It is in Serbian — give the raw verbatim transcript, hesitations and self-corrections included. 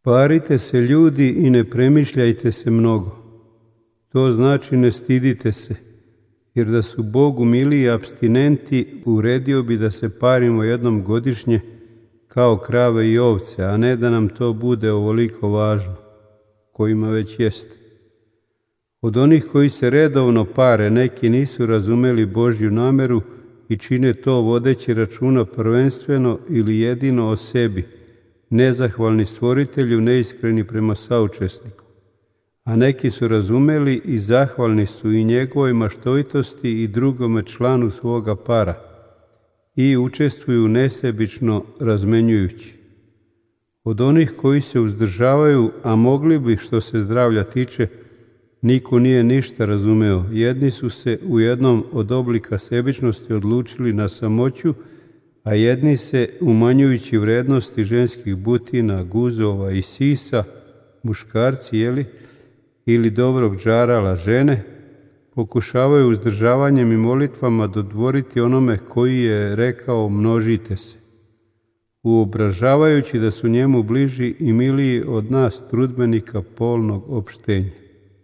Parite se ljudi i ne premišljajte se mnogo. To znači ne stidite se, jer da su Bogu miliji apstinenti, uredio bi da se parimo jednom godišnje kao krave i ovce, a ne da nam to bude ovoliko važno, kojima već jeste. Od onih koji se redovno pare, neki nisu razumeli Božju nameru i čine to vodeći računa prvenstveno ili jedino o sebi, nezahvalni stvoritelju, neiskreni prema saučesniku. A neki su razumeli i zahvalni su i njegovoj maštovitosti i drugome članu svoga para i učestvuju nesebično razmenjujući. Od onih koji se uzdržavaju, a mogli bi što se zdravlja tiče, niko nije ništa razumeo. Jedni su se u jednom od oblika sebičnosti odlučili na samoću, a jedni se, umanjujući vrednosti ženskih butina, guzova i sisa, muškarci, jeli, ili dobrog džarala žene, pokušavaju uzdržavanjem i molitvama dodvoriti onome koji je rekao množite se, uobražavajući da su njemu bliži i miliji od nas trudbenika polnog opštenja.